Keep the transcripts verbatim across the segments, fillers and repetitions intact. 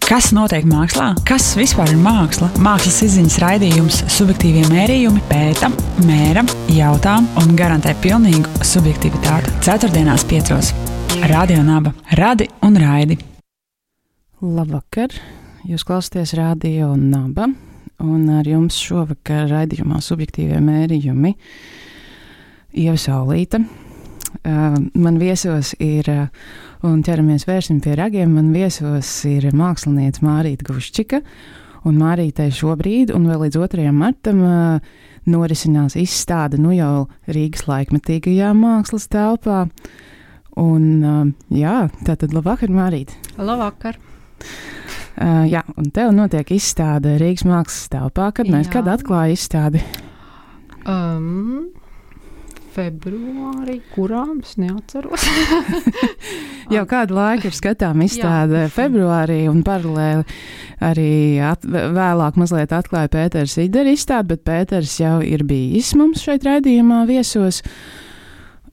Kas notiek mākslā? Kas vispār ir māksla? Mākslas izziņas raidījums Subjektīvie mērījumi pēta, mēra, jautā un garantē pilnīgu subjektivitāti. Ceturtdienās piecos. Radio Naba. Radi un raidi. Labvakar! Jūs klausāties Radio Naba, un ar jums šovakar raidījumā Subjektīvie mērījumi Ieva Saulīte. Uh, man viesos ir, uh, un ķeramies vērsim pie ragiem, man viesos ir māksliniece Mārīte Guščika, un Mārītei šobrīd, un vēl līdz otrajam martam, uh, norisinās izstāde nu jau Rīgas laikmetīgajā mākslas telpā. Un, uh, jā, tātad labvakar, Mārīte. Labvakar. Uh, jā, un tev notiek izstāde Rīgas mākslas telpā. Kad mēs, kad atklāja izstādi? Um... Februārī, kurām es neatceros. Jau kādu laiku ir skatām izstāde februārī, un paralēli arī at, vēlāk mazliet atklāja Pēters Idera izstādi, bet Pēters jau ir bijis mums šeit raidījumā viesos,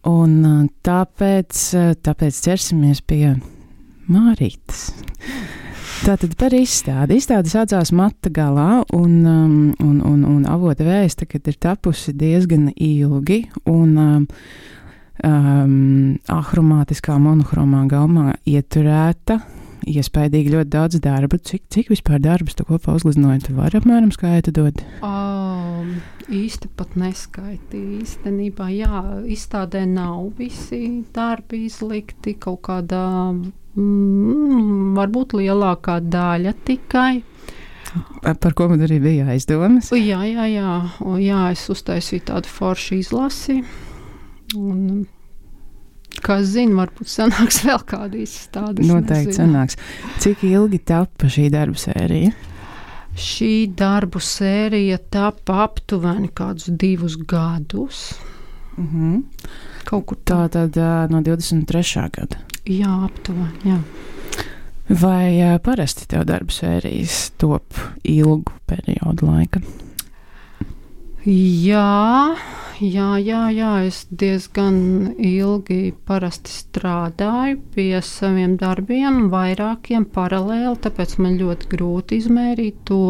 un tāpēc, tāpēc ķersimies pie Mārītes. Tātad par izstādi. Izstāde saucās Mata galā, un, um, un, un, un avota vēsta, ka ir tapusi diezgan ilgi, un um, um, ahromātiskā monohromā gaumā ieturēta, iespaidīgi ļoti daudz darba. Cik, cik vispār darbus tu kopā uzgleznoji? Tu vari apmēram skaitīt? Um, īsti pat neskaitīju. Īstenībā, jā, izstādē nav visi darbi izlikti kaut kādā... Mm, varbūt lielākā daļa tikai. Par ko man arī bija aizdomas? Jā, jā, jā. O, jā, es uztaisīju tādu foršu izlasi. Un, kas zina, varbūt sanāks vēl kāda izstādes. Noteikti sanāks. Cik ilgi tapa šī darbu sērija? Šī darbu sērija tapa aptuveni kādus divus gadus. Mhm. Kaut kur tā. Tā tad uh, no divdesmit trešā gada. Jā, aptuveni, jā. Vai uh, parasti tev darba sērijas top ilgu periodu laika? Jā, jā, jā, jā, es diezgan ilgi parasti strādāju pie saviem darbiem, vairākiem paralēli, tāpēc man ļoti grūti izmērīt to,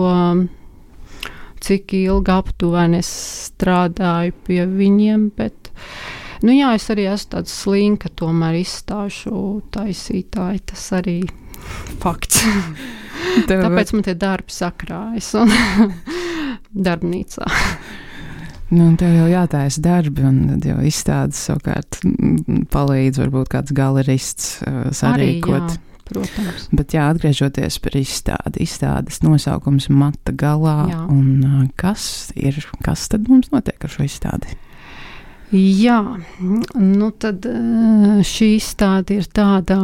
cik ilgi aptuveni es strādāju pie viņiem, bet nu jā, es arī esmu tāds slinka, tomēr izstāšu taisītāji, tas arī fakts. Tev... Tāpēc man tie darbi sakrājas un darbnīcā. Nu, tev jau jātaisa darbi, un tad jau izstādes savukārt palīdz varbūt kāds galerists uh, sarīkot. Arī, jā, protams. Bet jā, atgriežoties par izstādi, izstādes nosaukums Mata galā, jā. Un uh, kas ir, kas tad mums notiek ar šo izstādi? Jā, nu tad šī izstāde ir tāda,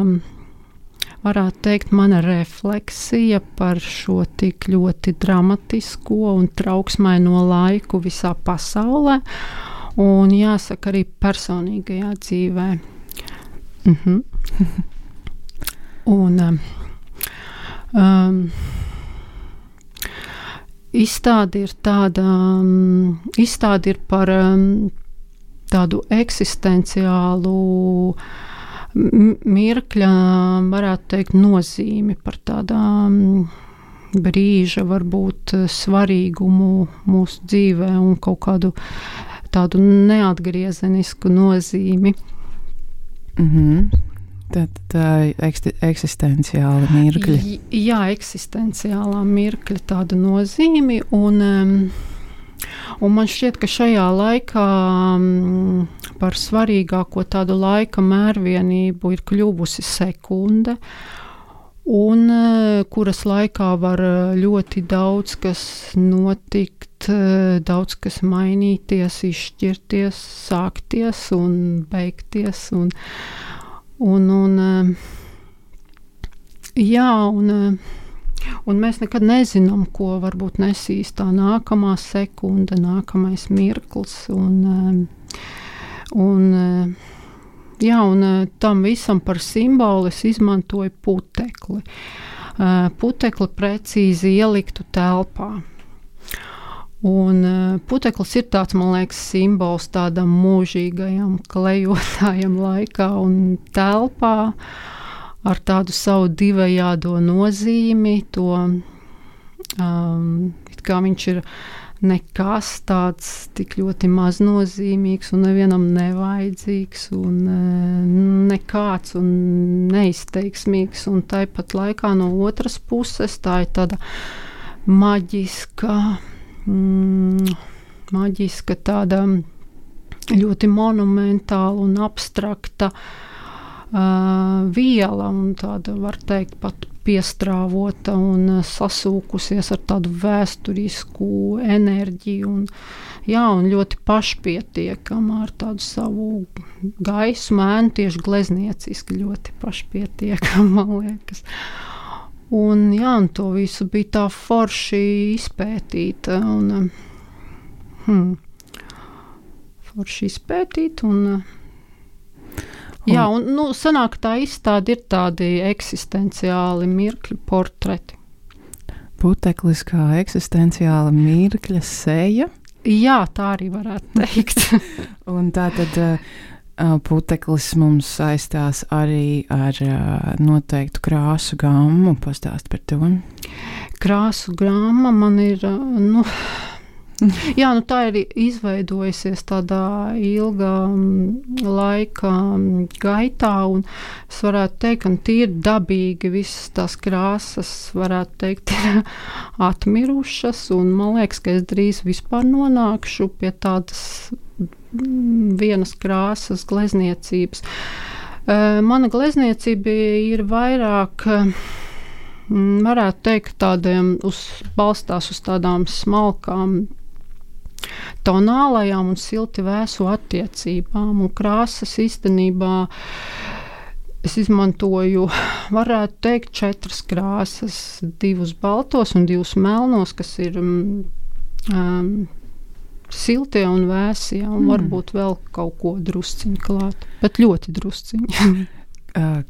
varētu teikt, mana refleksija par šo tik ļoti dramatisko un trauksmaino laiku visā pasaulē, un jāsaka arī personīgajā dzīvē. Mhm. Un um, izstāde ir tāda, um, izstāde ir par um, tādu eksistenciālu mirkļa, varētu teikt, nozīmi, par tādām brīža, varbūt svarīgumu mūsu dzīvē un kaut kādu tādu neatgriezenisku nozīmi. Mhm. Tad tā eksti, eksistenciāla mirkļa. Jā, eksistenciālā mirkļa tāda nozīmi, un um, Un man šķiet, ka šajā laikā m, par svarīgāko tādu laika mērvienību ir kļuvusi sekunde, un kuras laikā var ļoti daudz kas notikt, daudz kas mainīties, izšķirties, sākties un beigties. Un, un, un, jā, un... Un mēs nekad nezinām, ko varbūt nesīs tā nākamā sekunde, nākamais mirklis. Un, un, jā, un tam visam par simbolu es izmantoju putekli. Putekli precīzi ieliktu telpā. Un puteklis ir tāds, man liekas, simbols tādam mūžīgajam klejotājam laikā un telpā. ar tādu savu divējādo nozīmi, to um, it kā viņš ir nekas tāds tik ļoti maznozīmīgs un nevienam nevajadzīgs un nekāds un neizteiksmīgs, un tāpat laikā no otras puses tā ir tāda maģiska, mm, maģiska tāda ļoti monumentāla un abstrakta uh, viela, un tāda, var teikt, pat piestrāvota un sasūkusies ar tādu vēsturisku enerģiju un, jā, un ļoti pašpietiekama ar tādu savu gaismu, ēnu, tieši gleznieciski ļoti pašpietiekama, man liekas. Un, jā, un to visu bija tā forši izpētīt un hmm, forši izpētīt un jā, un, nu, sanāk, tā izstāde ir tādi eksistenciāli mirkļu portreti. Puteklis kā eksistenciāla mirkļa seja? Jā, tā arī varētu teikt. Un tā tad uh, puteklis mums saistās arī ar uh, noteiktu krāsu gammu. Pastāst par to. Krāsu gramma man ir, uh, nu... Jā, nu tā ir izveidojusies tādā ilgā laika gaitā, un es varētu teikt, ka tīri dabīgi visas tās krāsas, varētu teikt, ir atmirušas, un man liekas, ka es drīz vispār nonākšu pie tādas vienas krāsas glezniecības. Mana glezniecība ir vairāk, varētu teikt, tādiem uz, balstās uz tādām smalkām tonālajām un silti vēsu attiecībām, un krāsas īstenībā es izmantoju, varētu teikt, četras krāsas, divus baltos un divus melnos, kas ir um, siltie un vēsie, un mm. varbūt vēl kaut ko drusciņu klāt, bet ļoti drusciņu.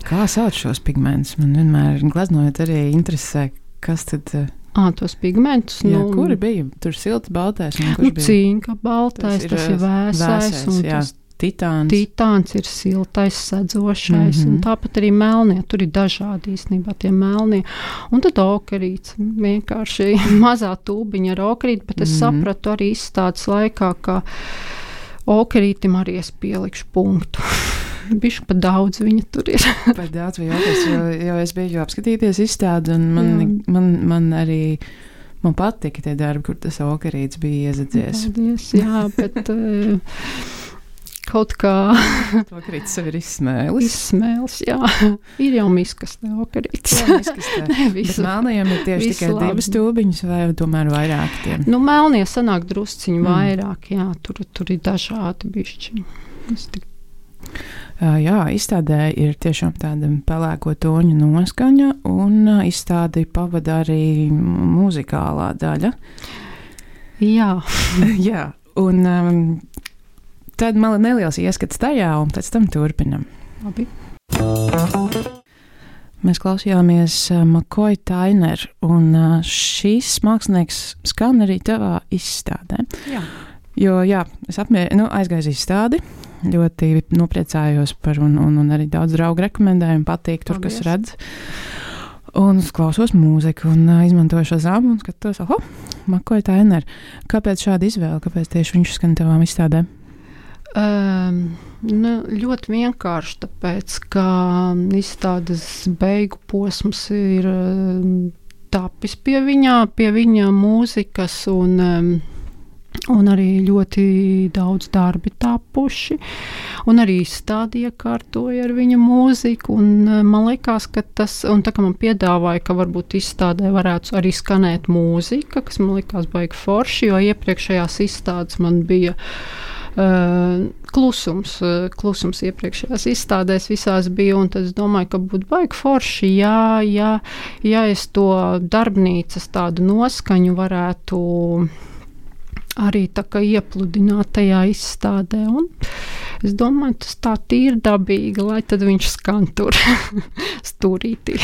Kā sauc šos pigmentus? Man vienmēr gleznojot arī interesē, kas tad... À, tos pigmentus. Jā, nu, kuri bija? Tur silts baltais. Un kurš nu, bija? Cinka baltais, tas ir, tas ir vēsais. vēsais un jā, tas titāns. Titāns ir siltais, sedzošais. Mm-hmm. Un tāpat arī melnie. Tur ir dažādi īstenībā tie melnie. Un tad okerīts. Vienkārši mazā tūbiņa ar okerīti, bet es mm-hmm. sapratu arī izstādes laikā, ka okerītim arī es pielikšu punktu. Bišķi pa daudz viņa tur ir. Pa daudz vai jautās, jo, jo es biju apskatīties izstādi, un man, man, man arī, man patika tie darbi, kur tas okerīts bija iezadzies. Paldies, jā, bet uh, kaut kā... Okerīts sev ir izsmēlis. Izsmēlis, jā. Ir jau miskastē okerīts. Jā, miskastē. Ne, visu, bet melnajiem ir tieši tikai labi. Divas tūbiņas vai tomēr vairāk tiem? Nu, melnie sanāk drusciņu mm. vairāk, jā, tur, tur ir dažādi bišķi. Es tik... Uh, jā, izstādē ir tiešām tāda pelēko toņu noskaņa, un uh, izstādi pavada arī muzikālā daļa. Jā. Jā, un um, tad man ir neliels ieskats tajā, un pēc tam turpinam. Labi. Mēs klausījāmies uh, McCoy Tyner, un uh, šīs mākslinieks skan arī tavā izstādē. Jā. Jo, jā, es apmier, nu, aizgāju izstādi, ļoti nopriecājos par, un, un, un arī daudz draugu rekomendēju, un patīk tur, Paldies. kas redz. Un klausos mūziku, un uh, izmantoju šo zāmu, un skatos, oho, McCoy Tyner. Kāpēc šāda izvēle? Kāpēc tieši viņš skan tavām izstādēm? Um, nu, ļoti vienkārši, tāpēc, ka izstādes beigu posms ir um, tapis pie viņā, pie viņa mūzikas, un um, un arī ļoti daudz darbi tapuši, un arī izstādi iekārtoja ar viņa mūziku, un man likās, ka tas, un tā kā man piedāvāja, ka varbūt izstādē varētu arī skanēt mūzika, kas man likās baigi forši, jo iepriekšējās izstādes man bija uh, klusums, uh, klusums iepriekšējās izstādēs visās bija, un tad es domāju, ka būtu baigi forši, jā, jā, ja es to darbnīcas tādu noskaņu varētu arī tā kā iepludināt tajā izstādē, un es domāju, tas tā tīri dabīgi, lai tad viņš skan tur stūrītī.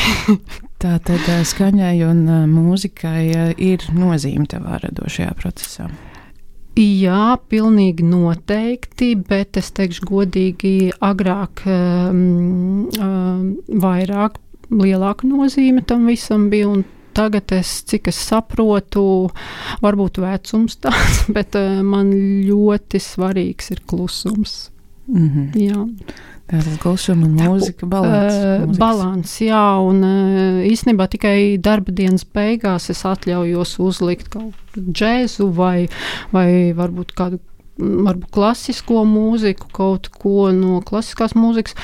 Tā tad skaņai un mūzikai ir nozīme tavā radošajā procesā. Jā, pilnīgi noteikti, bet es teikšu godīgi, agrāk um, um, vairāk, lielāka nozīme tam visam bija, un tagad es, cik es saprotu, varbūt vecums tāds, bet uh, man ļoti svarīgs ir klusums. Mm-hmm. Jā. Tātad klusuma un mūzika, balans. Uh, balans, jā, un uh, īstenībā tikai darba dienas beigās es atļaujos uzlikt kaut džēzu vai, vai varbūt kādu varbūt klasisko mūziku, kaut ko no klasiskās mūzikas,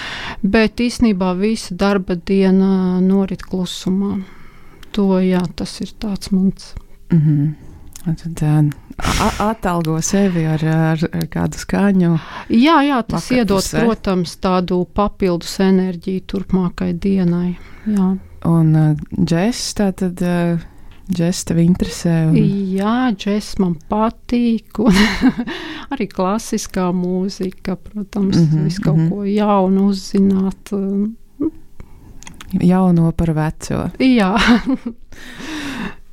bet īstenībā visa darba diena norit klusumā. To, jā, tas ir tāds mans. Mm-hmm. Tad uh, atalgo sevi ar, ar, ar kādu skaņu. Jā, jā, tas Vakar iedod, pusē. protams, tādu papildus enerģiju turpmākai dienai. Jā. Un uh, džess, tātad uh, džess tev interesē? Un... Jā, džess man patīk, un arī klasiskā mūzika, protams, mm-hmm, visu kaut mm-hmm. ko jaunu uzzināt. Jauno par veco. Jā.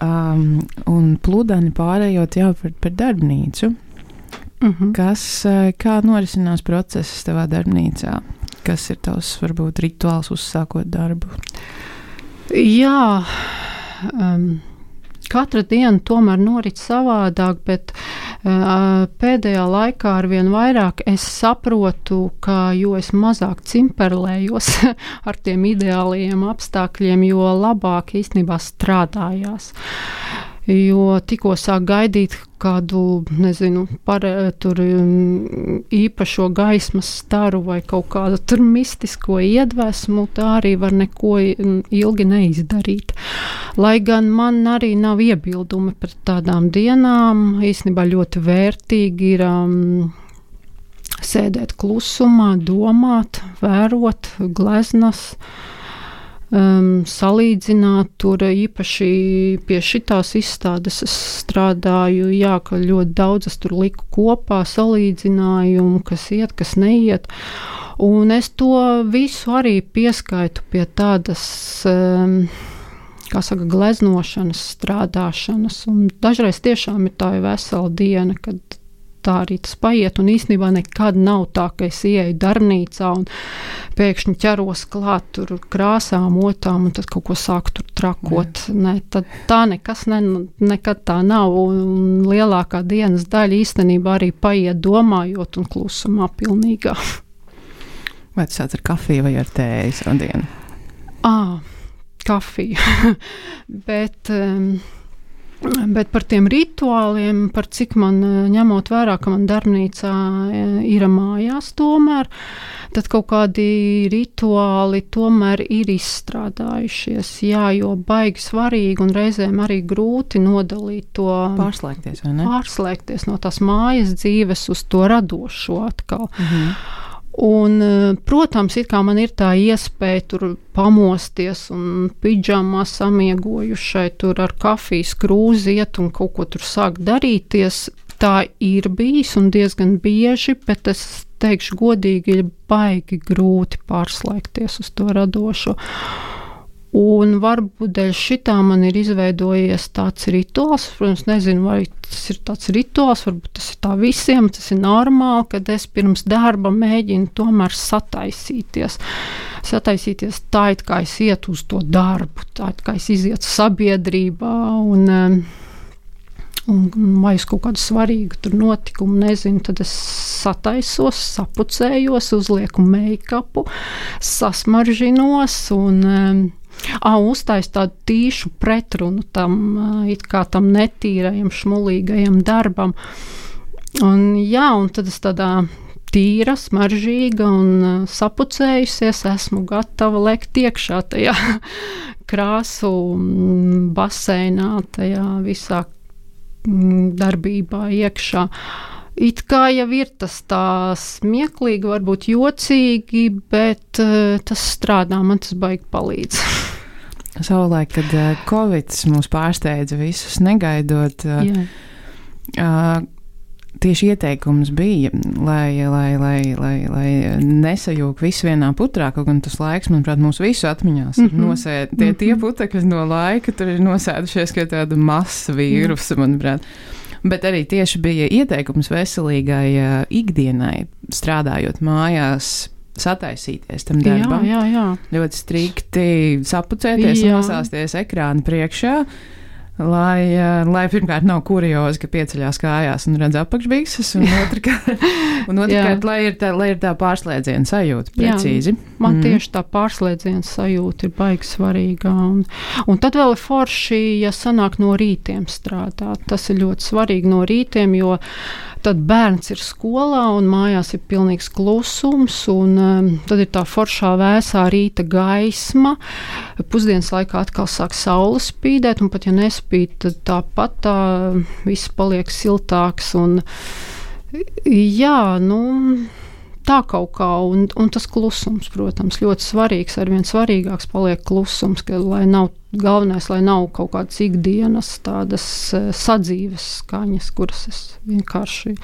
Um, un pludani pārējot jau par, par darbnīcu. Uh-huh. Kas, kā norisinās process tavā darbnīcā? Kas ir tavs, varbūt, rituāls uzsākot darbu? Jā, um, katra diena tomēr norit savādāk, bet uh, pēdējā laikā arvien vairāk es saprotu, ka jo es mazāk cimperlējos ar tiem ideālajiem apstākļiem, jo labāk īstenībā strādājās. Jo tikko sāk gaidīt kādu, nezinu, par, tur īpašo gaismas staru vai kaut kādu tur mistisko iedvesmu, tā arī var neko ilgi neizdarīt. Lai gan man arī nav iebildumi pret tādām dienām, īstenībā ļoti vērtīgi ir um, sēdēt klusumā, domāt, vērot gleznas, Um, salīdzināt, tur īpaši pie šitās izstādes es strādāju, jā, ka ļoti daudz es tur liku kopā salīdzinājumu, kas iet, kas neiet, un es to visu arī pieskaitu pie tādas, um, kā saka, gleznošanas, strādāšanas, un dažreiz tiešām ir tā vesela diena, kad tā arī tas paiet, un īstenībā nekad nav tā, ka es ieeju darbnīcā un pēkšņi ķeros klāt tur krāsām, otām, un tad kaut ko sāku tur trakot. Ne, tad tā nekas ne, nekad tā nav, un lielākā dienas daļa īstenībā arī paiet domājot un klusumā pilnīgā. Vai tas sāc ar kafiju vai ar tēju savu dienu? Ā, kafiju. Bet... Um, Bet par tiem rituāliem, par cik man ņemot vērā, ka man darbnīcā ir mājās tomēr, tad kaut kādi rituāli tomēr ir izstrādājušies. Jā, jo baigi svarīgi un reizēm arī grūti nodalīt to. Pārslēgties, vai ne? Pārslēgties no tās mājas dzīves uz to radošo atkal. Mhm. Un, protams, it kā man ir tā iespēja tur pamosties un pidžamā samiegojušai tur ar kafijas krūzi iet un kaut ko tur sāk darīties. Tā ir bijis un diezgan bieži, bet es teikšu godīgi, ir baigi grūti pārslēgties uz to radošo. Un varbūt dēļ šitā man ir izveidojies tāds rituāls, protams, nezinu, vai tas ir tāds rituāls, varbūt tas ir tā visiem, tas ir normāli, kad es pirms darba mēģinu tomēr sataisīties. Sataisīties tā, it kā es ietu uz to darbu, tā, it kā es izietu sabiedrībā un, un vai uz kaut kādu svarīgu tur notikumu, nezinu, tad es sataisos, sapucējos, uzlieku make-upu, sasmaržinos un Ā, uztais tādu tīšu pretrunu tam, it kā tam netīrajam, šmulīgajam darbam. Un jā, un tad es tādā tīra, smaržīga un sapucējusies, esmu gatava lekt iekšā tajā krāsu baseinā, tajā visā darbībā iekšā. It kā jau ir tas tā smieklīgi, varbūt jocīgi, bet uh, tas strādā, man tas baigi palīdz. Savulaik, kad uh, Covid mūs pārsteidza visus negaidot, uh, uh, tieši ieteikums bija, lai, lai, lai, lai, lai nesajūg visu vienā putrā, kaut gan tas laiks, manuprāt, mūsu visu atmiņās ir mm-hmm. nosēd, tie, tie putekļi no laika tur ir nosēdušies kā tāda masa vīrusa, manuprāt. Bet arī tieši bija ieteikums veselīgai uh, ikdienai, strādājot mājās, sataisīties tam darbam. Jā, jā, jā. Ļoti strikti sapucēties, Jā. nosāsties ekrāna priekšā, lai, uh, lai pirmkārt nav kuriozi, ka pieceļās kājās un redz apakšbikses, un otrkārt, un otrkārt lai, ir tā, lai ir tā pārslēdziena sajūta precīzi. Jā, man mm. tieši tā pārslēdziena sajūta ir baigi svarīga. Un, un tad vēl ir forši, ja sanāk no rītiem strādāt. Tas ir ļoti svarīgi no rītiem, jo tad bērns ir skolā un mājās ir pilnīgs klusums, un um, tad ir tā foršā vēsā rīta gaisma. Pusdienas laikā atkal sāk saule spīdēt, un pat ja nespīd, tad tāpat tā viss paliek siltāks. Un, jā, nu, tā kaut kā, un, un tas klusums, protams, ļoti svarīgs, arvien svarīgāks paliek klusums, ka, lai nav galvenais, lai nav kaut kādas ikdienas tādas sadzīves skaņas, kuras es vienkārši,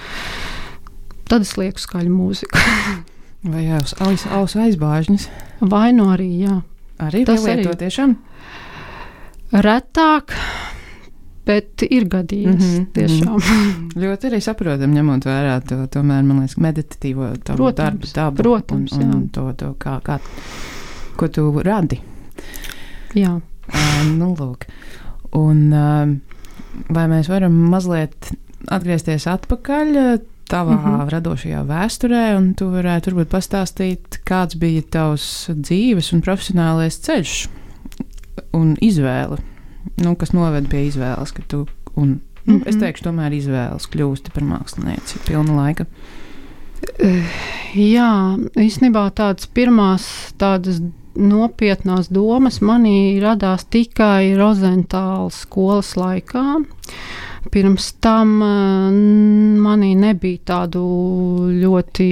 tad es lieku skaļu mūziku. Vai aus, aus, ausu aizbāžņas? Vai nu arī, jā. Arī Tas pielieto arī. tiešām? Retāk, bet ir gadījies, mm-hmm, tiešām. Mm-hmm. Ļoti arī saprotam, ņemot vērā to, tomēr, man liekas, meditatīvo tavu darbu dabu. Protams, un, jā. un to, to kā, kā, ko tu radi. Jā. Uh, nu, lūk. Un uh, vai mēs varam mazliet atgriezties atpakaļ tavā mm-hmm. radošajā vēsturē, un tu varētu varbūt pastāstīt, kāds bija tavs dzīves un profesionālais ceļš un izvēle, nu, kas noved pie izvēles, ka tu, un, nu, mm-hmm. es teikšu, tomēr izvēles kļūsti par mākslinieci pilna laika. Jā, īstenībā tādas pirmās tādas nopietnās domas manī radās tikai Rozentāla skolas laikā. Pirms tam manī nebija tādu ļoti,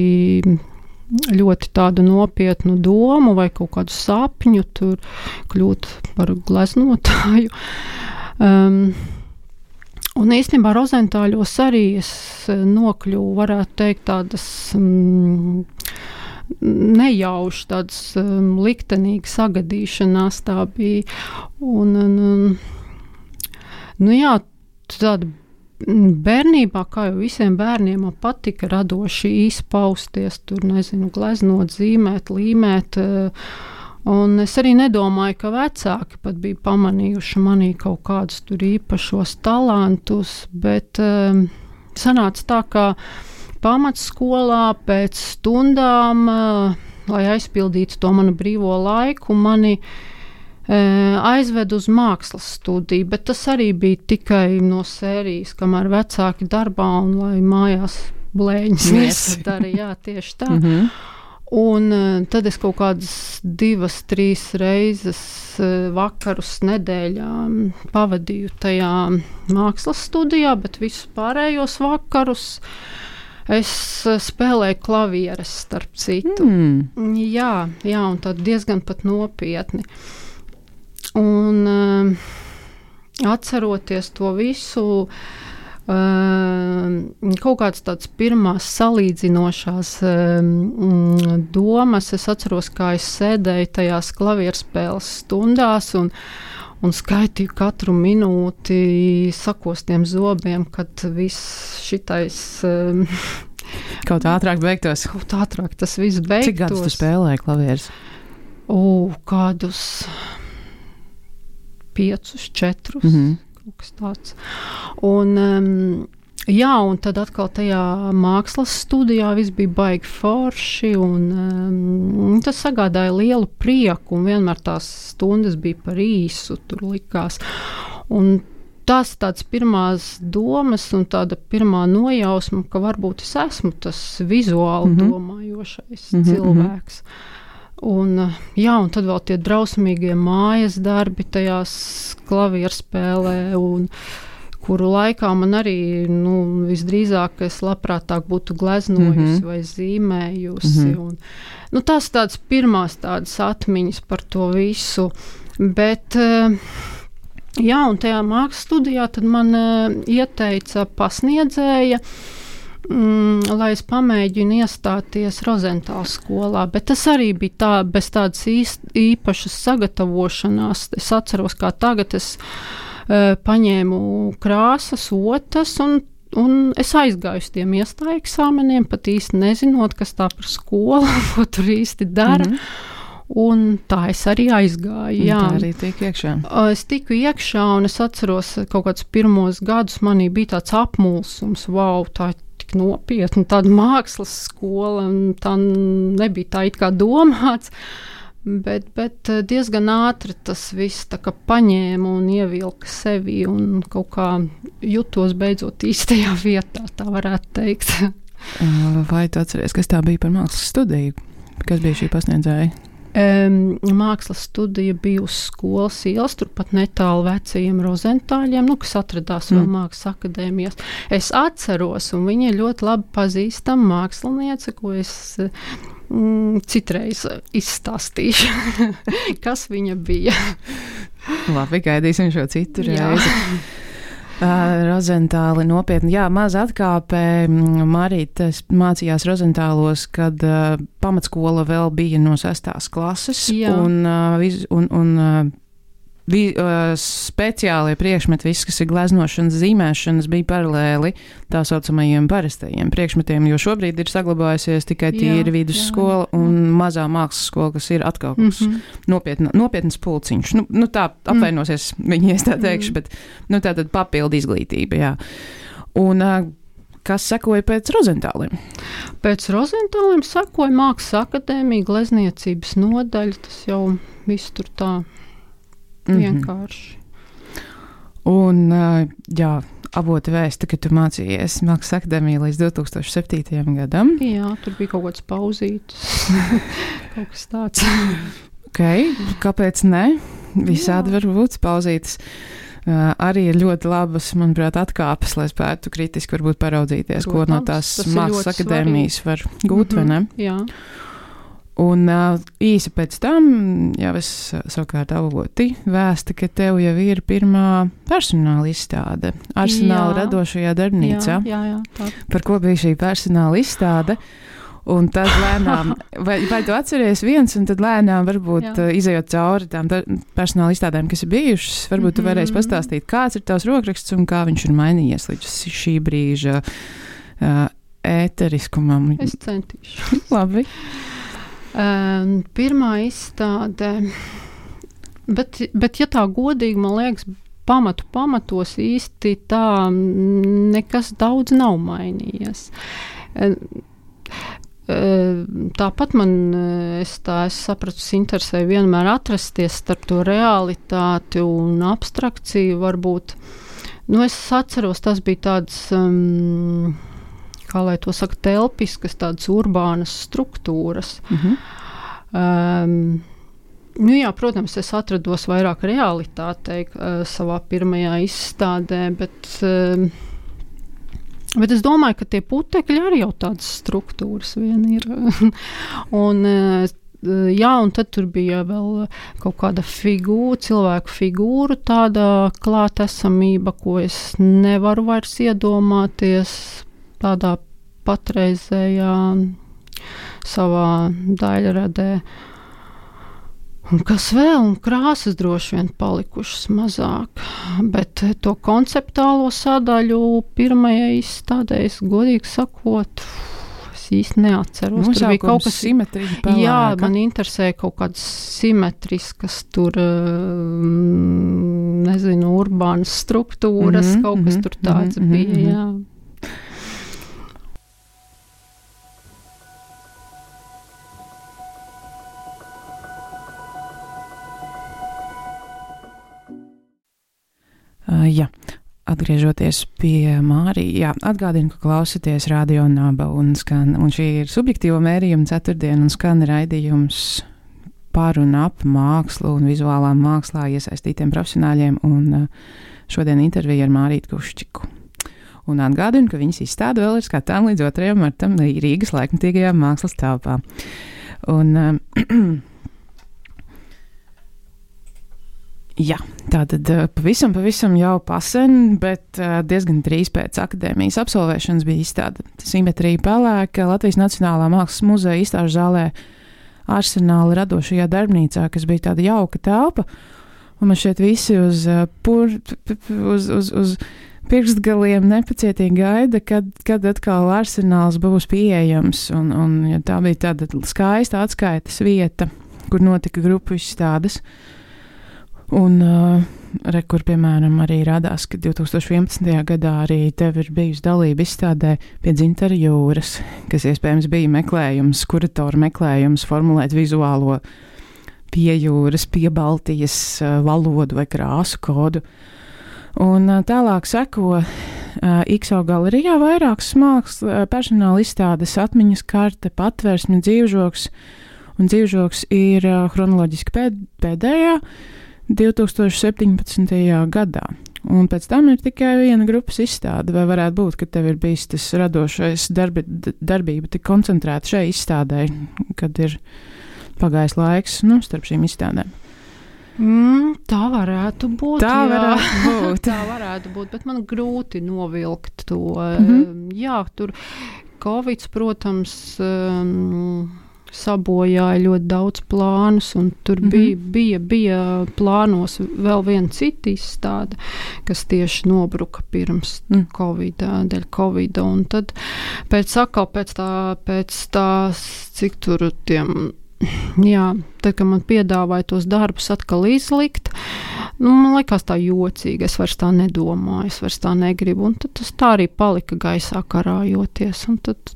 ļoti tādu nopietnu domu vai kaut kādu sapņu tur kļūt par gleznotāju. Um, un īstenībā Rozentāļos arī es nokļuvu, varētu teikt, tādas mm, nejauši, tādas um, liktenīgas sagadīšanās tā bija. Un, un, un, nu jā, tāda bērnībā, kā jau visiem bērniem, man patika radoši izpausties, tur, nezinu, gleznot, zīmēt, līmēt. Un es arī nedomāju, ka vecāki pat bija pamanījuši manī kaut kādus tur īpašos talantus, bet um, sanāca tā, ka pamatskolā pēc stundām, lai aizpildītu to manu brīvo laiku, mani aizved uz mākslas studiju, bet tas arī bija tikai no sērijas, kamēr vecāki darbā un lai mājās blēņas nesadara. Jā, tieši tā. Mm-hmm. Un tad es kaut kādas divas, trīs reizes vakarus nedēļā pavadīju tajā mākslas studijā, bet visus pārējos vakarus es spēlēju klavieres, starp citu. Mm. Jā, jā, un tad diezgan pat nopietni. Un uh, atceroties to visu, uh, kaut kāds tāds pirmās salīdzinošās uh, domas, es atceros, kā es sēdēju tajās klavierspēles stundās un un skaitīju katru minūti sakostiem zobiem, kad viss šitais um, kaut ātrāk beigtos. Kaut ātrāk tas viss beigtos. Cik gadus tu spēlēji klavierus? O, kādus piecus, četrus, mm-hmm. kaut kas tāds. Un um, jā, un tad atkal tajā mākslas studijā viss bija baigi forši, un um, tas sagādāja lielu prieku, un vienmēr tās stundas bija par īsu, tur likās. Un tas tāds pirmās domas un tāda pirmā nojausma, ka varbūt es esmu tas vizuāli mm-hmm. domājošais mm-hmm. cilvēks. Un, jā, un tad vēl tie drausmīgie mājas darbi tajās klavierspēlē, un kuru laikā man arī, nu, visdrīzāk es labprātāk būtu gleznojusi mm-hmm. vai zīmējusi. Mm-hmm. Un, nu, tās tādas pirmās tādas atmiņas par to visu. Bet, jā, un tajā mākslas studijā tad man ieteica pasniedzēja, mm, lai es pamēģinu iestāties Rozentāla skolā. Bet tas arī bija tā, bez tādas īst, īpašas sagatavošanās. Es atceros, kā tagad es paņēmu krāsas, otas, un un es aizgāju uz tiem iestāju eksāmeniem, pat īsti nezinot, kas tā par skolu, ko tur īsti dara. Mm-hmm. Un tā es arī aizgāju. Jā. Tā arī tika iekšā. Es tiku iekšā, un es atceros kaut kādus pirmos gadus, manī bija tāds apmulsums, wow, tā ir tik nopietna, tāda mākslas skola, un tā nebija tā it kā domāts, bet, bet diezgan ātri tas viss tā kā paņēma un ievilka sevi, un kaut kā jutos beidzot īstajā vietā, tā varētu teikt. Vai tu atceries, kas tā bija par mākslas studiju? Kas bija šī pasniedzēja? Um, mākslas studija bija uz skolas ielas, turpat netālu vecajiem Rozentāļiem, nu, kas atradās mm. vēl mākslas akadēmijas. Es atceros, un viņa ir ļoti labi pazīstama māksliniece, ko es mm, citreiz izstāstīšu, kas viņa bija. Labi, gaidīsim šo citu reizi. Uh, Rozentāli nopietni. Jā, maz atkāpē. Marīta mācījās Rozentālos, kad uh, pamatskola vēl bija no sestās klases. Jā. Un, uh, viz, un, un uh, vi, uh, speciālie priekšmeti, viss, kas ir gleznošanas, zīmēšanas, bija paralēli tā saucamajiem parastajiem priekšmetiem, jo šobrīd ir saglabājusies tikai tīri vidusskola un mazā mākslas skola, kas ir atkal kaut kas mm-hmm. nopietna, nopietnas pulciņš. Nu, nu tā apvainosies mm. viņi, es tā teikšu, mm. bet nu, tā tad papildu izglītība, jā. Un uh, kas sekoja pēc Rozentāliem? Pēc Rozentāliem sekoja Mākslas akadēmija, glezniecības nodaļa, tas jau viss tur tā vienkārši. Mm-hmm. Un, uh, jā, avoti vēsta, ka tu mācījies Mākslas akadēmijā līdz divs tūkstoši septītajam gadam. Jā, tur bija kaut kāds pauzītis, kaut kas tāds. Ok, kāpēc ne? Visādi var būt pauzītis. Uh, arī ir ļoti labas, manuprāt, atkāpes, lai spētu kritiski varbūt paraudzīties, Protams, ko no tās Mākslas akadēmijas var gūt, mm-hmm, vai ne? Jā. Un uh, īsi pēc tam, jau es savukārt avoti vēsta, ka tev jau ir pirmā personāla izstāde Arsenāla jā. Radošajā darbnīcā. Jā, jā, jā, tā. Par ko bija šī personāla izstāde? Un tad lēnām, vai, vai tu atceries viens, un tad lēnām varbūt uh, izejot cauri tām personāla izstādēm, kas ir bijušas, varbūt mm-hmm. tu varēsi pastāstīt, kāds ir tavs rokraksts un kā viņš ir mainījies līdz šī brīža uh, ēteriskumam. Es centīšu. Labi. Um, pirmā izstāde, bet, bet ja tā godīgi, man liekas, pamatu pamatos īsti tā nekas daudz nav mainījies. Um, Tāpat man, es tā es sapratu, interesēja vienmēr atrasties starp to realitāti un abstrakciju varbūt. Nu, es atceros, tas bija tāds, um, kā lai to saka, telpiskas, tādas urbānas struktūras. Mm-hmm. Um, nu jā, protams, es atrados vairāk realitātei uh, savā pirmajā izstādē, bet... Um, Bet es domāju, ka tie putekļi arī jau tādas struktūras vien ir. un, jā, un tad tur bija vēl kaut kāda figūra, cilvēku figūra, tāda klātesamība, ko es nevaru vairs iedomāties tādā patreizējā savā daļradē. Un kas vēl, un krāsas droši vien palikušas mazāk, bet to konceptuālo sadaļu pirmajai izstādē, es godīgi sakot, es īsti neatceros. Tur bija kaut kas simetrija pelēka. Jā, man interesēja kaut kādas simetriskas tur, nezinu, urbānas struktūras, mm-hmm, kaut kas tur tāds mm-hmm, bija, mm-hmm. jā. Uh, jā, atgriežoties pie Mārija, atgādinu, ka klausaties Radio Naba un skan, un šī ir subjektīvo mērījuma ceturtdiena un skan raidījums par un ap mākslu un vizuālām mākslā iesaistītiem profesionāļiem, un uh, šodien intervija ar Mārītu Kuščiku. Un atgādinu, ka viņas izstāde vēl ir skatām līdz otrajam martam Rīgas laikmatīgajā mākslas telpā. Un... Uh, Jā, tātad pavisam, pavisam jau pasen, bet diezgan drīz pēc akadēmijas absolvēšanas bija izstāde Simetrija pelēka Latvijas Nacionālā mākslas muzeja izstāžu zālē Arsenāla radošajā darbnīcā, kas bija tāda jauka telpa, un man šeit visi uz, pur, uz, uz, uz pirkstgaliem nepacietīgi gaida, kad, kad atkal arsenāls būs pieejams. Un, un ja tā bija tāda skaista atskaites vieta, kur notika grupu izstādes. Un, uh, re, kur, piemēram, arī radās, ka divtūkstoš vienpadsmitajā gadā arī tev ir bijusi dalība izstādē pie Dzintara jūras, kas iespējams bija meklējums, kuratora meklējums formulēt vizuālo pie jūras, pie Baltijas uh, valodu vai krāsu kodu. Un uh, tālāk seko uh, I K S O galerijā vairākas mākslas uh, personāla izstādes, atmiņas karte, patvērsme, dzīvžoks, un dzīvžoks ir uh, chronoloģiski pēd, pēdējā divtūkstoš septiņpadsmitajā gadā. Un pēc tam ir tikai viena grupas izstāde, vai varētu būt, ka tev ir bijis tas radošais darbi, darbība tik koncentrēta šai izstādē, kad ir pagājis laiks, nu, starp šīm izstādēm. Mm, tā varētu būt. Tā jā. varētu būt. tā varētu būt, bet man grūti novilkt to. Mm-hmm. Jā, tur Covids, protams, um, sabojāja ļoti daudz plānus, un tur mm-hmm. bija, bija, bija plānos vēl viena cita izstāde, kas tieši nobruka pirms mm. Covid, dēļ Covida, un tad pēc atkal pēc tā, pēc tās, cik tur tiem jā, tad, kad man piedāvāja tos darbus atkal izlikt, nu, man liekas tā jocīgi, es vairs tā nedomāju, es vairs tā negribu, un tad tas tā arī palika gaisā karājoties, un tad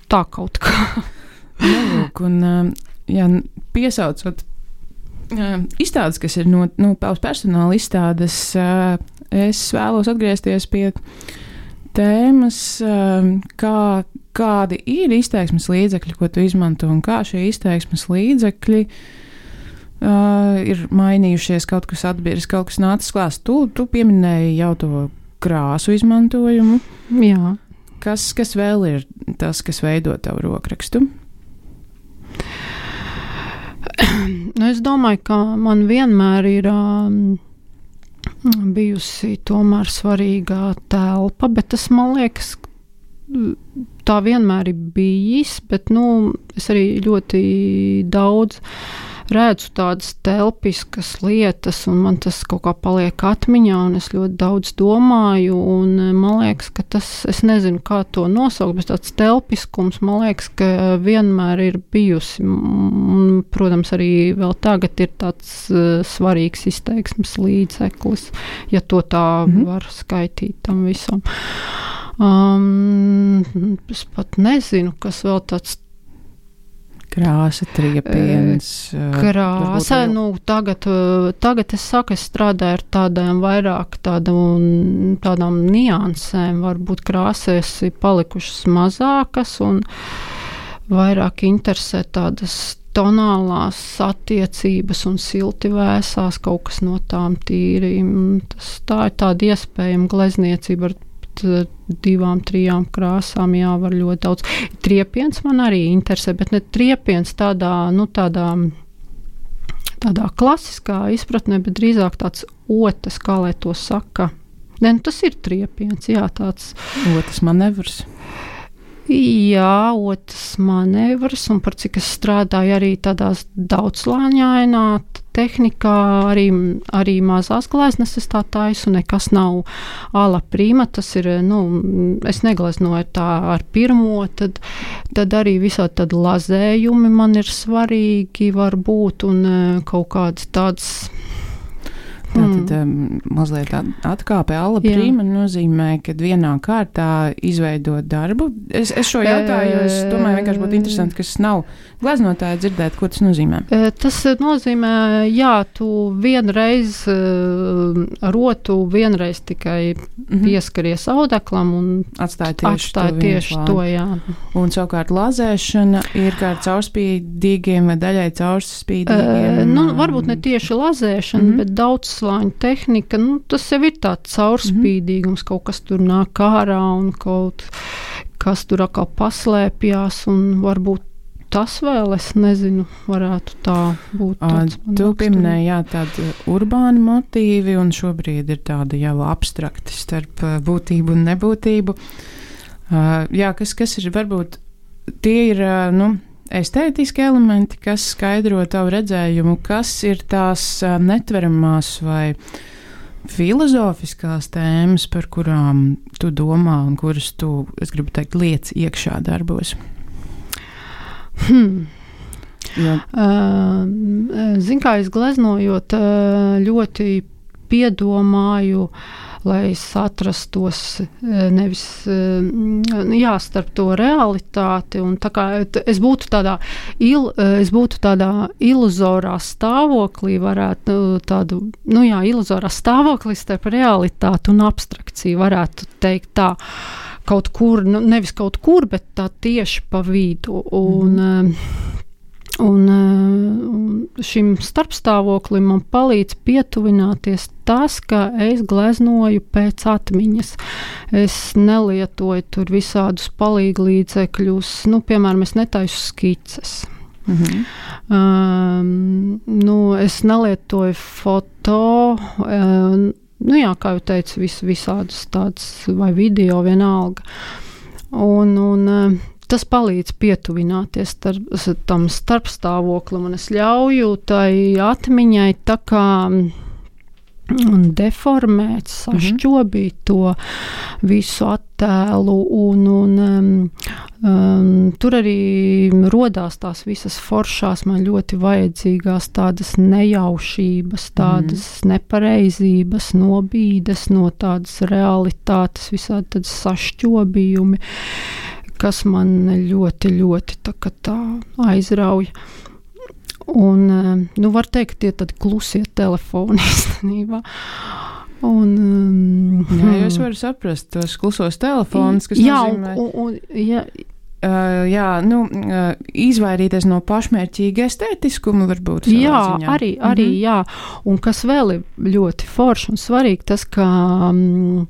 tā kaut kā. Nelūk, un, jā, piesaucot izstādes, kas ir no, no personāla izstādes, es vēlos atgriezties pie tēmas, kā kādi ir izteiksmes līdzekļi, ko tu izmanto, un kā šie izteiksmes līdzekļi uh, ir mainījušies, kaut kas atbirs, kaut kas nācis klāst. Tu, tu pieminēji jau to krāsu izmantojumu. Jā. Kas, kas vēl ir tas, kas veido tavu rokrakstu? Nu, es domāju, ka man vienmēr ir um, bijusi tomēr svarīgā telpa, bet tas, man liekas, tā vienmēr ir bijis, bet, nu, es arī ļoti daudz redzu tādas telpiskas lietas, un man tas kaut kā paliek atmiņā, un es ļoti daudz domāju, un man liekas, ka tas, es nezinu, kā to nosaukt, bet tāds telpiskums, man liekas, ka vienmēr ir bijusi, un, protams, arī vēl tagad ir tāds uh, svarīgs izteiksmes līdzeklis, ja to tā mm-hmm. var skaitīt tam visam. Um, es pat nezinu, kas vēl tāds krāsa, triepiens. Krāsa, uh, nu, tagad, uh, tagad es saku, es strādāju ar tādām vairāk tādām, tādām niansēm, varbūt krāsēs ir palikušas mazākas un vairāk interesē tādas tonālās attiecības un silti vēsās, kaut kas no tām tīri. Tas, tā ir tāda iespējama glezniecība ar divām, trijām krāsām, jā, var ļoti daudz. Triepiens man arī interesē, bet ne triepiens tādā, nu, tādā, tādā klasiskā izpratnē, bet drīzāk tāds otas, kā lai to saka. Ne, nu, tas ir triepiens, jā, tāds. Otas manevrs. Jā, otas manevrs, un par cik es strādāju arī tādās daudzslāņainā tehnikā, arī, arī mazās gleznes es tā taisu, nekas nav ala prima, tas ir, nu, es negleznoju tā ar pirmo, tad, tad arī visādi tad lazējumi man ir svarīgi varbūt, un kaut kāds tāds. Tātad um, mazliet atkāpe ala prima nozīmē, kad vienā kārtā izveidot darbu. Es, es šo jautāju, jo es domāju, vienkārši būtu interesanti, kas nav gleznotāji dzirdēt, ko tas nozīmē. Tas nozīmē, jā, tu vienreiz rotu, vienreiz tikai mm-hmm. pieskaries audeklam un atstāja tieši, atstāja to, tieši to, jā. Un savukārt lazēšana ir kā caurspīdīgiem vai daļai caurspīdīgiem? Uh, nu, varbūt ne tieši lazēšana, mm-hmm. bet daudz slāņu tehnika, nu, tas jau ir tāds caurspīdīgums, mm-hmm. kaut kas tur nāk ārā un kaut kas tur atkal paslēpjās, un varbūt tas vēl, es nezinu, varētu tā būt. Tu pieminēji, jā, tādi urbāni motīvi, un šobrīd ir tāda jau abstrakti starp būtību un nebūtību. Uh, jā, kas, kas ir, varbūt, tie ir, uh, nu, estētiski elementi, kas skaidro tavu redzējumu, kas ir tās uh, netveramās vai filozofiskās tēmas, par kurām tu domā un kuras tu, es gribu teikt, liec iekšā darbos? Hmm. Uh, Zin, kā es gleznojot, ļoti piedomāju, lai es atrastos nevis jā, starp to realitāti. Un tā kā es būtu tādā, il, es būtu tādā iluzorā stāvoklī, varētu tādu, nu jā, iluzorā stāvoklī starp realitāti un abstrakciju, varētu teikt tā. Kaut kur, nu, nevis kaut kur, bet tā tieši pa vidu. Un, mm. Un, un šim starpstāvoklim man palīdz pietuvināties tas, ka es gleznoju pēc atmiņas. Es nelietoju tur visādus palīglīdzekļus, nu, piemēram, es netaisu skices. Mm-hmm. Um, nu, es nelietoju foto, um, nu jā, kā jau teicu, vis, visādus tādus vai video vienalga. Un, un tas palīdz pietuvināties tar, tam starpstāvoklim, un es ļauju tai atmiņai tā kā deformēt, sašķobīt to visu attēlu, un, un um, um, tur arī rodās tās visas foršās, man ļoti vajadzīgās tādas nejaušības, tādas mm. nepareizības, nobīdes no tādas realitātes, visādi tādas sašķobījumi, kas man ļoti, ļoti tā, tā aizrauja. Un, nu, var teikt, tie tad klusie telefoni īstenībā. Un, um, jā, jūs varat saprast tos klusos telefonus, kas jā, nozīmē... Un, un, jā, Uh, jā, nu, uh, izvairīties no pašmērķīga estētiskuma varbūt. Jā, ziņā. arī, arī mm-hmm. jā. Un kas vēl ir ļoti forši un svarīgi, tas, ka um,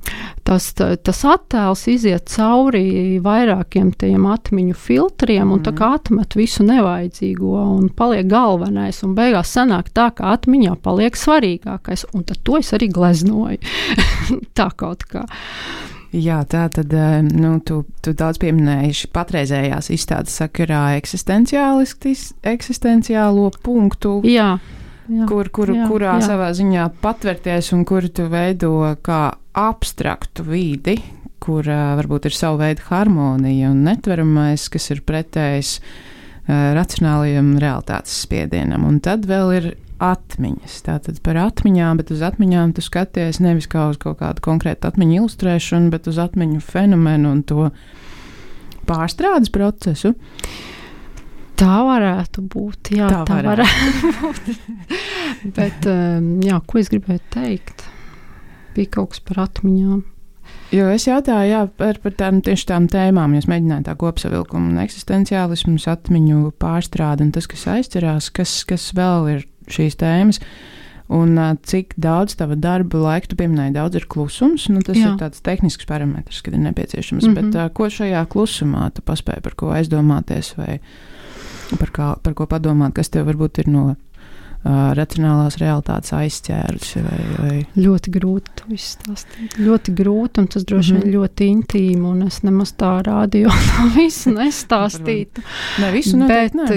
tas, tas attēls iziet cauri vairākiem tiem atmiņu filtriem, un mm. tā kā atmet visu nevajadzīgo un paliek galvenais, un beigās sanāk tā, ka atmiņā paliek svarīgākais, un tad to es arī gleznoju. Tā kaut kā. Jā, tā tad, nu, tu, tu daudz pieminēji patreizējās izstādes sakarā eksistenciālo punktu, jā, jā, kur, kur, jā, kurā jā. savā ziņā patverties un kur tu veido kā abstraktu vidi, kur uh, varbūt ir savu veidu harmonija un netveramais, kas ir pretējs uh, racionālajam realitātes spiedienam. Un tad vēl ir atmiņas. Tātad par atmiņām, bet uz atmiņām tu skaties nevis kā uz kaut kādu konkrētu atmiņu ilustrēšanu, bet uz atmiņu fenomenu un to pārstrādes procesu. Tā varētu būt, jā, tā, tā varētu, varētu būt. Bet, jā, ko es gribēju teikt? Bija kaut kas par atmiņām. Jo es jautāju, jā, par, par tām tieši tām tēmām, jūs mēģināt tā kopsavilkumu un eksistenciālismus, atmiņu pārstrādi un tas, kas aizcerās, kas, kas vēl ir šīs tēmas, un uh, cik daudz tava darba laika, tu pieminēji, daudz ir klusums, nu tas jā. Ir tāds tehnisks parametrs, kad ir nepieciešams, mm-hmm. bet uh, ko šajā klusumā tu paspēji par ko aizdomāties vai par, kā, par ko padomāt, kas tev varbūt ir no uh, racionālās realitātes aizķērusi vai, vai... Ļoti grūti to izstāstīt. Ļoti grūti, un tas droši vien mm-hmm. ļoti intīmi, un es nemaz tā rādio to visu nestāstītu. Ne, visu noteikti, bet, ne.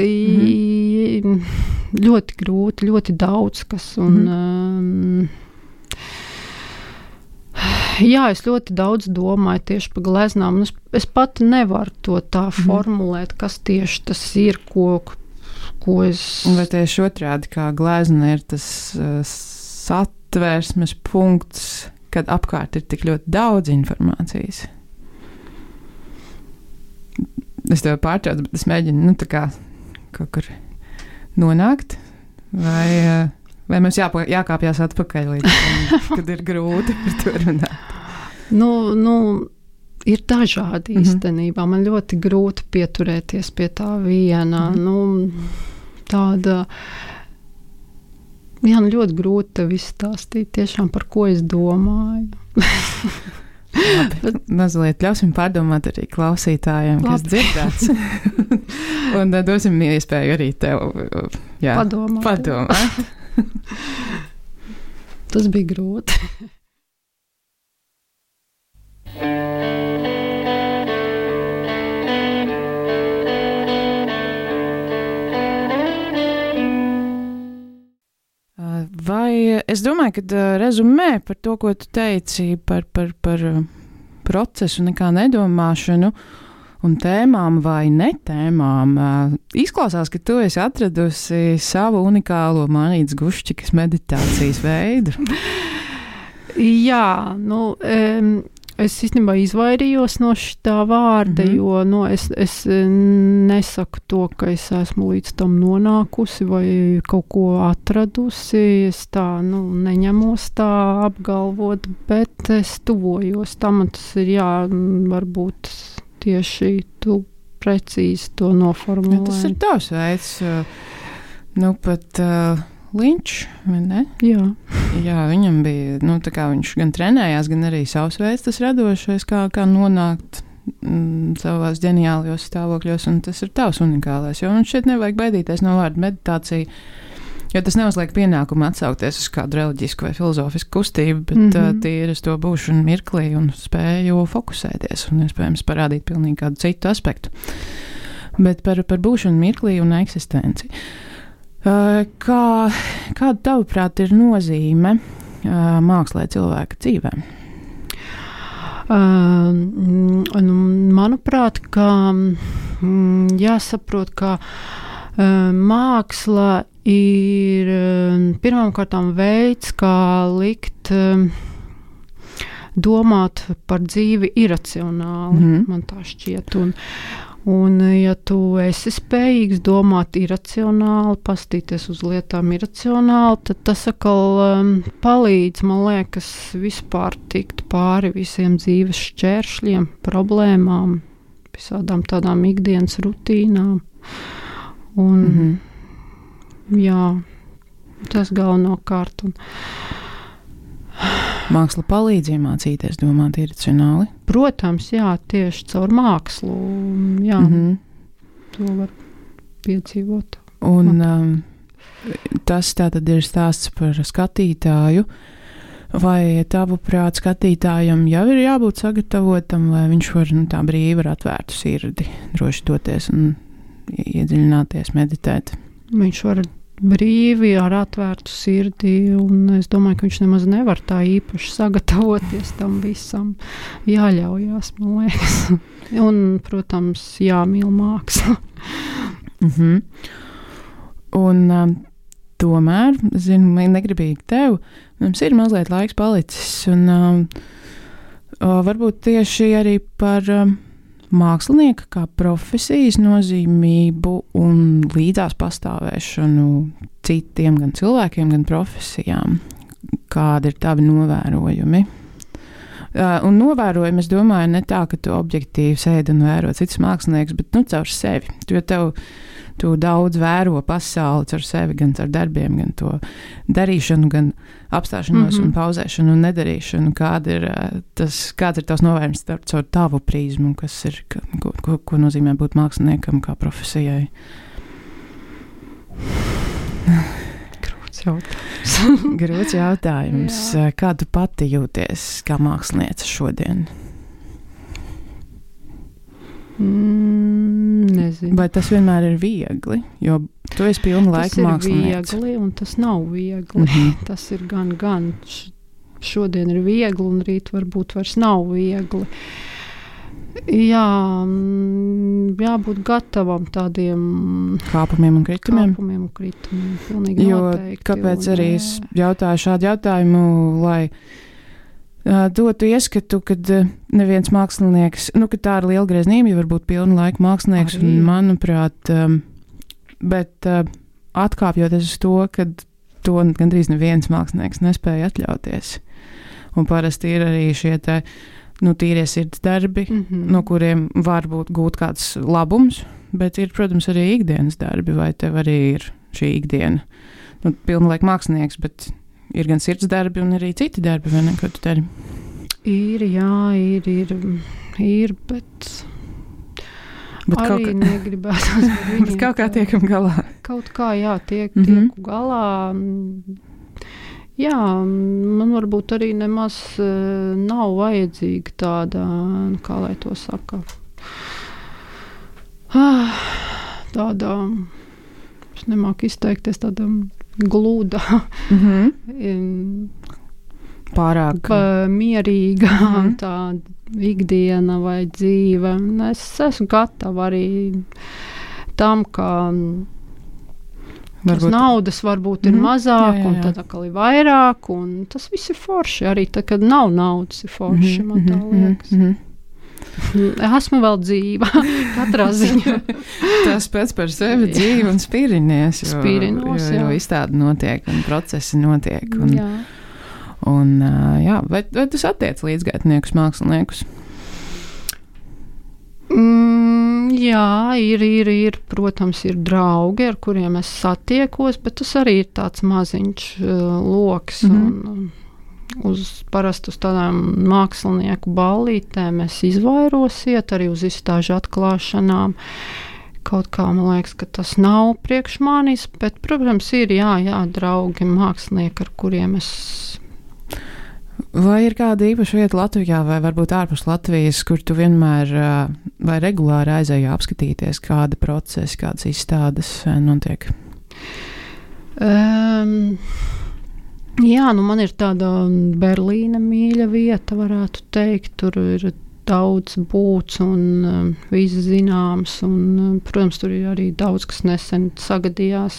Mm-hmm. Ļoti grūti, ļoti daudz kas. Un, mm. um, jā, es ļoti daudz domāju tieši par gleznām. Es, es pat nevaru to tā mm. formulēt, kas tieši tas ir, ko, ko es... Vai tieši otrādi, kā glezna ir tas uh, satversmes punkts, kad apkārt ir tik ļoti daudz informācijas? Es tev pārtraucu, bet es mēģinu, nu, tā kā kaut kur... nonākt, vai, vai mums jāpa, jākāpjās atpakaļ līdz tam, kad ir grūti par to runāt? Nu, nu, ir dažādi mm-hmm. īstenībā. Man ļoti grūti pieturēties pie tā viena. Mm-hmm. Nu, tāda, jā, nu, ļoti grūti tev izstāstīt tiešām, par ko es domāju. Labi, mazliet ļausim pārdomāt arī klausītājiem, kas dzirdēts. Un uh, dosim iespēju arī tev uh, jā, padomāt. padomāt. Tas bija grūti. Vai es domāju, ka rezumē par to, ko tu teici par, par, par procesu, nekā nedomāšanu un tēmām vai netēmām. Izklausās, ka tu esi atradusi savu unikālo Manītas Guščikas meditācijas veidu. Jā, nu... Um, Es īstenībā izvairījos no šitā vārda, mm-hmm. jo no, es, es nesaku to, ka es esmu līdz tam nonākusi vai kaut ko atradusi. Es tā nu, neņemos tā apgalvot, bet es tuvojos tam, un tas ir jā, varbūt tieši tu precīzi to noformulēji. Ja, tas ir tavs veids, nu pat... Uh... Linčs, vai ne? Jā. Jā, viņam bija, nu, tā kā viņš gan trenējās, gan arī savs veids tas radošais, kā, kā nonākt mm, savās ģeniālajos stāvokļos, un tas ir tavs unikālais, jo mums šeit nevajag baidīties no vārda meditācija, jo tas neuzliek pienākumu atsaukties uz kādu reliģisku vai filozofisku kustību, bet mm-hmm. uh, tīri uz to būšanu mirklī un spēju fokusēties un, iespējams, parādīt pilnīgi kādu citu aspektu. Bet par, par būšanu mirklī un eksistenci. Uh, kā, kāda tavuprāt ir nozīme uh, mākslē cilvēka dzīvē? Uh, nu, manuprāt, ka mm, jāsaprot, ka uh, māksla ir uh, pirmkārtām veids, kā likt uh, domāt par dzīvi iracionāli, mm. man tā šķiet. Un, Un, ja tu esi spējīgs domāt iracionāli, pastīties uz lietām iracionāli, tad tas atkal um, palīdz, man liekas, vispār tikt pāri visiem dzīves šķēršļiem, problēmām, visādām tādām ikdienas rutīnām. Un, mm-hmm. jā, tas galvenokārt. Un, Māksla palīdz iemācīties domāt iracionāli? Protams, jā, tieši caur mākslu. Jā, mm-hmm. to var piedzīvot. Un um, tas tātad ir stāsts par skatītāju. Vai tavuprāt skatītājam jau ir jābūt sagatavotam, vai viņš var nu, tā brīvi ar atvērtu sirdi droši doties un iedziļināties, meditēt? Viņš var brīvi ar atvērtu sirdi, un es domāju, ka viņš nemaz nevar tā īpaši sagatavoties tam visam. Jāļaujās, man liekas. Un, protams, jāmīl māksla. Mm-hmm. Un um, tomēr, zinu, negribīgi tev, mums ir mazliet laiks palicis, un um, varbūt tieši arī par um, mākslinieka kā profesijas nozīmību un līdzās pastāvēšanu citiem gan cilvēkiem, gan profesijām. Kādi ir tavi novērojumi? Uh, un novērojumi, es domāju, ne tā, ka tu objektīvi sēdi un vēro citus mākslinieks, bet nu caur sevi. Jo tev tu daudz vēro pasauli caur sevi, gan caur darbiem, gan to darīšanu, gan apstāšanos mm-hmm. un pauzēšanu un nedarīšanu. Kāda ir, tas, kāds ir tavs novērojums caur tavu prizmu, kas ir, ko, ko, ko nozīmē būt māksliniekam kā profesijai? Grūts jautājums. Grūts jautājums. Kā tu pati jūties kā mākslinieca šodien? Mm, nezinu. Vai tas vienmēr ir viegli? Jo tu esi pilna laika mākslinieca. Tas ir viegli un tas nav viegli. Mm-hmm. Tas ir gan, gan. Šodien ir viegli un rīt varbūt vairs nav viegli. Jā, jābūt gatavam tādiem kāpumiem un kritumiem. Kāpumiem un kritumiem, pilnīgi jo, noteikti. Kāpēc un, arī es jautāju šādu jautājumu, lai uh, dotu ieskatu, kad uh, neviens mākslinieks, nu, ka tā ir liela greznība, jo varbūt pilna laika mākslinieks, arī. Un manuprāt, um, bet uh, atkāpjoties uz to, kad to gandrīz neviens mākslinieks nespēja atļauties. Un parasti ir arī šie te nu, tīrie sirds darbi, mm-hmm. no kuriem var būt gūt kāds labums, bet ir, protams, arī ikdienas darbi, vai tev arī ir šī ikdiena. Nu, pilnlaika mākslinieks, bet ir gan sirds darbi un arī citi darbi, vai ne, ko tu dari? Ir, jā, ir, ir, ir, bet, bet arī kā, negribētu ar viņiem. Bet kaut kā tiekam galā. Kaut kā, jā, tiek, mm-hmm. tieku galā. Jā, man varbūt arī nemaz uh, nav vajadzīga tāda, kā lai to saka, ah, tāda, es nemāku izteikties, tāda gluda, Mm-hmm. Pārāk pa, mierīga Mhm. tā ikdiena vai dzīve. Un es esmu gatava arī tam, ka tas naudas varbūt ir Mhm. mazāk, Jā, jā, un jā. tad atkal ir vairāk, un tas viss ir forši. Arī tad, kad nav naudas, ir forši, man tā liekas. Mm-hmm. Esmu vēl dzīva, katrā ziņā. Tas pēc par sevi dzīve un spīrinies, jo, Spīrinos, jo, jo jā. izstāde notiek un procesi notiek. Un, Jā. un, ā, jā, vai, vai tu satiec līdzgaitniekus, māksliniekus? Mm, jā, ir, ir, ir, protams, ir draugi, ar kuriem es satiekos, bet tas arī ir tāds maziņš uh, loks. Mhm. Un, uz parasti uz tādām mākslinieku ballītēm es izvairos iet arī uz izstāžu atklāšanām. Kaut kā man liekas, ka tas nav priekš manis, bet, protams, ir jā, jā, draugi, mākslinieki, ar kuriem es. Vai ir kāda īpaša vieta Latvijā vai varbūt ārpus Latvijas, kur tu vienmēr ā, vai regulāri aizēji apskatīties, kāda procesa, kādas izstādes ā, notiek? Um, Jā, nu man ir tāda Berlīna mīļa vieta, varētu teikt. Tur ir daudz būts un um, viss zināms. Un, um, protams, tur ir arī daudz, kas nesen sagadījās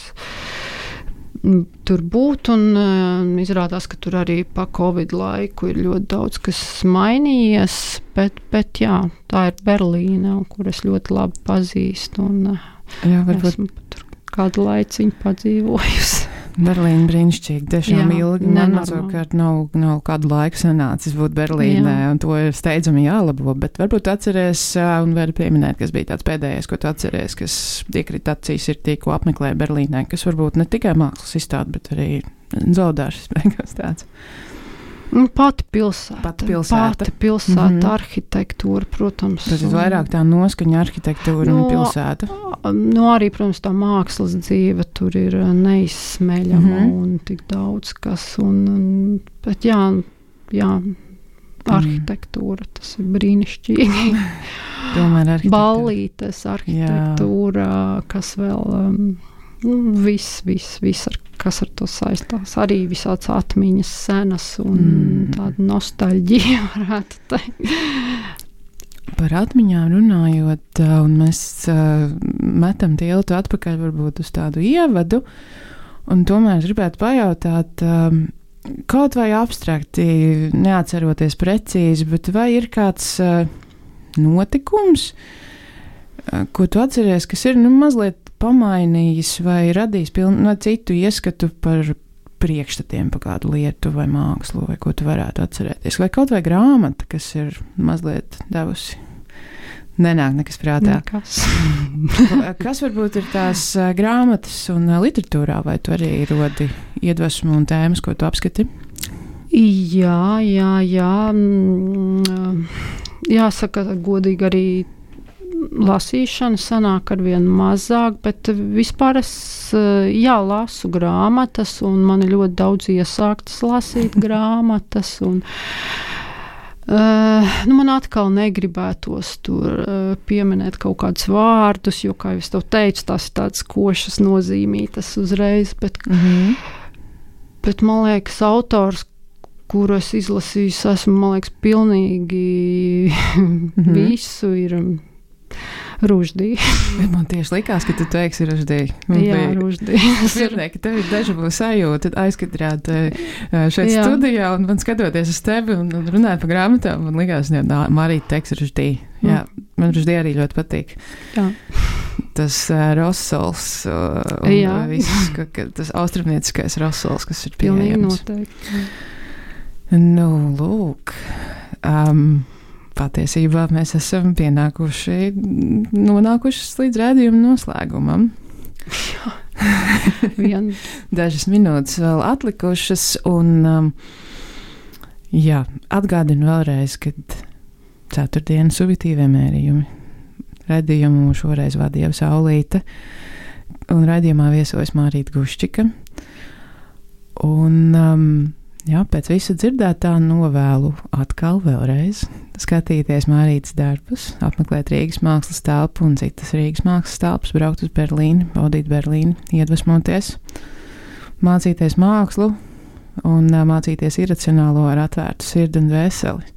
um, tur būt. Un um, izrādās, ka tur arī pa Covid laiku ir ļoti daudz, kas mainījies. Bet, bet jā, tā ir Berlīna, kur es ļoti labi pazīstu. Un, Jā, varbūt esmu tur kādu laiciņu padzīvojusi. Berlīna brīnišķīgi, tiešām Jā, ilgi. Man nenormāli. savukārt nav, nav kādu laiku sanācis būt Berlīnē, Jā. un to ir steidzami jālabo, bet varbūt atceries ā, un vari pieminēt, kas bija tāds pēdējais, ko tu atceries, kas iekrita acīs ir tie, ko apmeklē Berlīnē, kas varbūt ne tikai mākslas izstāde, bet arī zaudāšas beigās tāds. Pati pilsēta. Pati pilsēta. Pati pilsēta, Mhm. arhitektūra, protams. Tas ir un- vairāk tā noskaņa, arhitektūra No, un pilsēta. Nu, arī, protams, tā mākslas dzīve tur ir uh, neizsmeļama Mhm. un tik daudz kas. Un, un, bet jā, jā, arhitektūra, tas ir brīnišķīgi. Tomēr arhitektūra. Ballītes, arhitektūra, kas vēl, um, nu, viss, viss, viss, ar, kas ar to saistās. Arī visāds atmiņas senas un Mm. tāda nostalģija, varētu teikt. Par atmiņām runājot, ā, un mēs ā, metam tiltu atpakaļ varbūt uz tādu ievadu, un tomēr es gribētu pajautāt, ā, kaut vai abstrakti, neatceroties precīzi, bet vai ir kāds ā, notikums, ā, ko tu atceries, kas ir nu, mazliet pamainījis vai radījis pilnu no citu ieskatu par priekšstatiem par kādu lietu vai mākslu, vai ko tu varētu atcerēties. Vai kaut vai grāmata, kas ir mazliet devusi. Nenāk nekas prātā. Nekas. Kas varbūt ir tās ā, grāmatas un ā, literatūrā, vai tu arī rodi iedvesmu un tēmas, ko tu apskati? Jā, jā, jā. mm, Jāsaka, godīgi arī lasīšana sanāk ar vien mazāk, bet vispār es, jā, lasu grāmatas, un man ir ļoti daudz iesāktas lasīt grāmatas, un Uh, nu man atkal negribētos tur uh, pieminēt kaut kādus vārdus, jo, kā jau es tev teicu, tās ir tādas košas nozīmītas uzreiz, bet, Mhm. bet man liekas, autors, kuru es izlasīju, esmu, man liekas, pilnīgi visu ir Ruždī. Man tieši likās, ka tu teiksi Ruždī. Jā, Ruždī. Es dzirdēju, ka tev ir dežavu sajūta aizkadrāt ā, šeit Jā. studijā, un man skatoties uz tevi un, un runāt par grāmatām, man likās, ka Marīta teiks Ruždī. Jā, man Ruždī arī ļoti patīk. Jā. Tas uh, rosols uh, un Jā. uh, viss, ka, ka tas austrumnieciskais rosols, kas ir Pilnīgi pieejams. noteikti. Nu, lūk. Um, Patiesībā mēs esam pienākuši, nonākuši līdz rādījuma noslēgumam. Vien, Dažas minūtes vēl atlikušas, un um, jā, atgādinu vēlreiz, ka ceturtdienas subjektīvie mērījumi. Raidījumu šoreiz vadīja Saulīte, un raidījumā viesojas Mārīta Guščika. Un, um, jā, pēc visa dzirdētā novēlu atkal vēlreiz skatīties Mārītas darbus, apmeklēt Rīgas mākslas telpu un citas Rīgas mākslas telpas, braukt uz Berlīni, baudīt Berlīni, iedvesmoties. mācīties mākslu un uh, mācīties iracionālo ar atvērtu sirdi un dvēseli.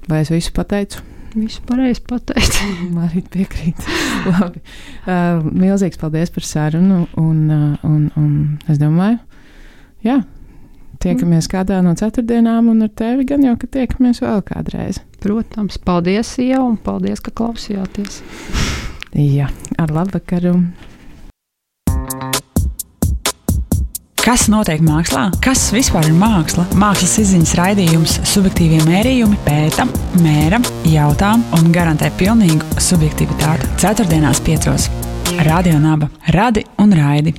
Vai es visu pateicu? Visu pareizi pateicu. Marīt piekrīt. Labi. Uh, milzīgs paldies par sarunu un, uh, un, un es domāju, jā, tiekamies kādā no ceturtdienām un ar tevi gan jau, ka tiekamies vēl kādreiz. Protams, paldies jau un paldies, ka klausījāties. Jā, ar labvakaru. Kas notiek mākslā? Kas vispār ir māksla? Mākslas izziņas raidījums Subjektīvie mērījumi pēta, mēra, jautā un garantē pilnīgu subjektivitāti. Ceturtdienās piecos. Radio Naba. Radi un raidi.